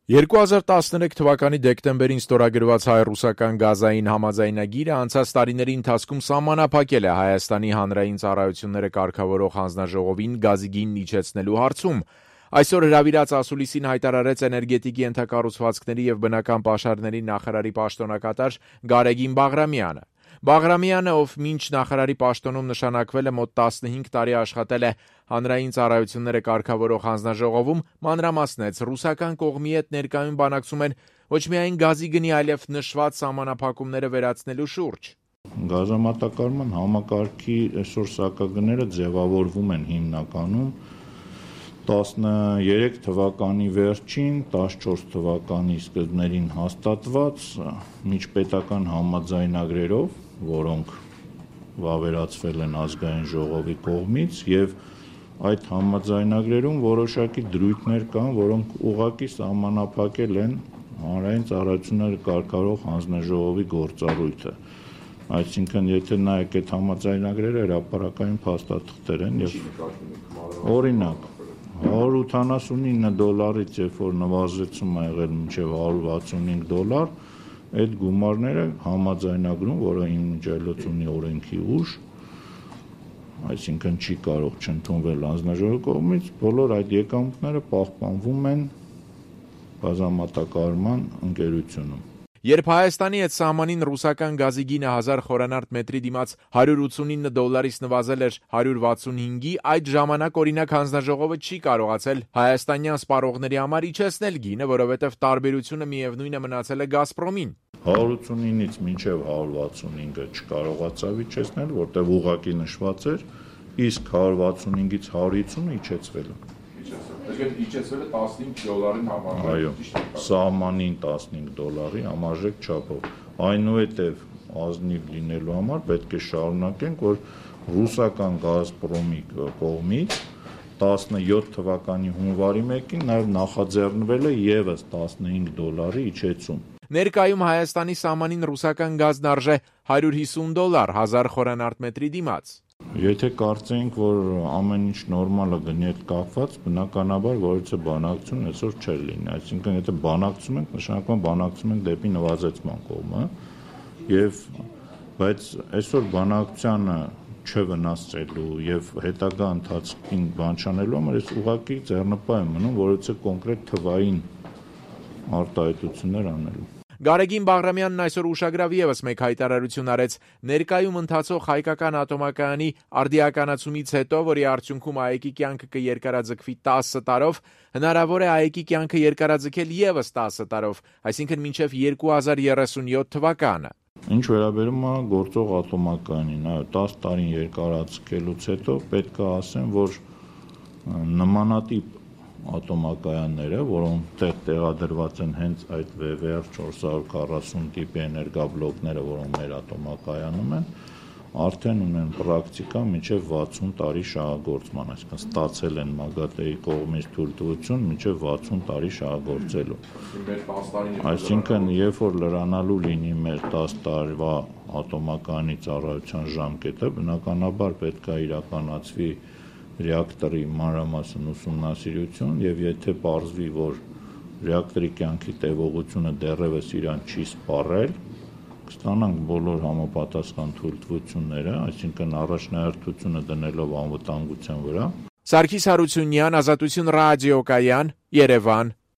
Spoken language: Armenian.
2013 թվականի դեկտեմբերին ստորագրված հայ-ռուսական գազային համաձայնագիրը անցած տարիների ընթացքում սահմանափակել է Հայաստանի հանրային ծառայությունները կարգավորող հանձնաժողովին գազի գինն իջեցնելու հարցում։ Այսօր հրավիրած ասուլիսին հայտարարեց էներգետիկի ենթակառուցվածքների և բնական պաշարների նախարարի պաշտոնակատար Գարեգին Բաղրամյանը։ Բաղրամյանը, ով մինչ նախարարի պաշտոնում նշանակվել է մոտ 15 տարի աշխատել է հանրային ծառայությունները կարգավորող հանձնաժողովում, մանրամասնեց ռուսական կողմի հետ ներկայում բանակցում են ոչ միայն գազի գնի, այլև նշված սահմանափակումները վերացնելու շուրջ։ Գազամատակարարման համակարգի այսօր սակագները ձևավորվում են հիմնականում 13 թվականի վերջին, 14 թվականի սկզբներին հաստատված միջպետական համաձայնագրերով, որոնք վավերացվել են ազգային ժողովի կողմից և այդ համաձայնագրերում որոշակի դրույթներ կան, որոնք ուղղակի սահմանափակել են հանրային ծառայությունները կարգավորող հանձնաժողովի գործառույթը։ Այսինքն, եթե նայեք այդ համաձայնագրերը հրապարակային փաստաթղթեր են և օրինակ $189-ից երբ որ նվազեցում է եղել մինչև $165, այդ գումարները համաձայնագրում, որը իմիջիայլոց ունի օրենքի ուժ, այսինքն չի կարող չընդունվել հանձնաժողովի կողմից, բոլոր այդ եկամուտները պահպանվում են գազամատակարարման ընկերությունում։ Երբ Հայաստանի հետ սահմանին ռուսական գազի գինը 1000 խորանարդ մետրի դիմաց $189-ից նվազել էր 165-ի, այդ ժամանակ օրինակ հանձնաժողովը չի կարողացել հայաստանյան սպառողների համար իջեցնել գինը, որովհետև տարբերությունը միևնույնը մնացել է Գազպրոմին։ 189-ից մինչև 165-ը չկարողացավ իջեցնել, որտեղ ուղղակի նշված էր, իսկ 165-ից 150-ը իջեցվել է։ Իջեցվել է $15 համարժեք։ Այո, սահմանին $15 համարժեք չափով։ Այնուհետև ազնիվ լինելու համար պետք է շարունակենք, որ ռուսական Գազպրոմի կողմից 17 թվականի հունվարի 1-ին նաև նախաձեռնվել է ևս $15 իջեցում։ Ներկայում Հայաստանի սահմանին ռուսական գազն արժե $150 1000 խորանարդ մետրի դիմաց։ Եթե կարծենք, որ ամեն ինչ նորմալ է գնի հետ կապված, բնականաբար որևէ բանակցություն այսօր չէր լինի, այսինքն եթե բանակցում ենք, նշանակում է բանակցում ենք դեպի նվազեցման կողմը, բայց այսօր բանակցությանը չվնասելու եւ հետագա ընթացքին բան չանելու համար ես ուղղակի ձեռնպահ եմ մնում որևէ կոնկրետ թվային արտահայտություններ անելու։ Գարեգին Բաղրամյանն այսօր ուշագրավ ևս մեկ հայտարարություն արեց ներկայում ընթացող հայկական ատոմակայանի արդիականացումից հետո, որի արդյունքում ԱԵԿ-ի կյանքը կերկարաձգվի 10 տարով, հնարավոր է ԱԵԿ-ի կյանքը երկարաձգել ևս 10 տարով, այսինքն մինչև 2037 թվականը։ Ինչ վերաբերում է գործող ատոմակայանին, 10 տարին երկարաձգելուց հետո պետք է ասեմ, որ նմանատիպ ատոմակայանները, որոնք տեղադրված են հենց այդ VVER 440 տիպի էներգաբլոկները, որոնք մեր ատոմակայանում են, արդեն ունեն պրակտիկա մինչև 60 տարի շահագործման, այսինքն ստացել են ՄԱԳԱՏԵ-ի կողմից թույլտվություն մինչև 60 տարի շահագործելու։ Այսինքն, երբ որ լրանալու լինի մեր 10 տարվա ատոմակայանի ծառայության ժամկետը, բնականաբար պետք է իրականացվի ռեակտորի մանրամասն ուսումնասիրություն եւ եթե պարզվի, որ ռեակտորի կյանքի տևողությունը դեռևս իրան չի սպառել, կստանանք բոլոր համապատասխան թույլտվությունները, այսինքն առաջնահերթությունը դնելով անվտանգության վրա։ Սարգիս Հարությունյան, Ազատություն ռադիոկայան, Երևան։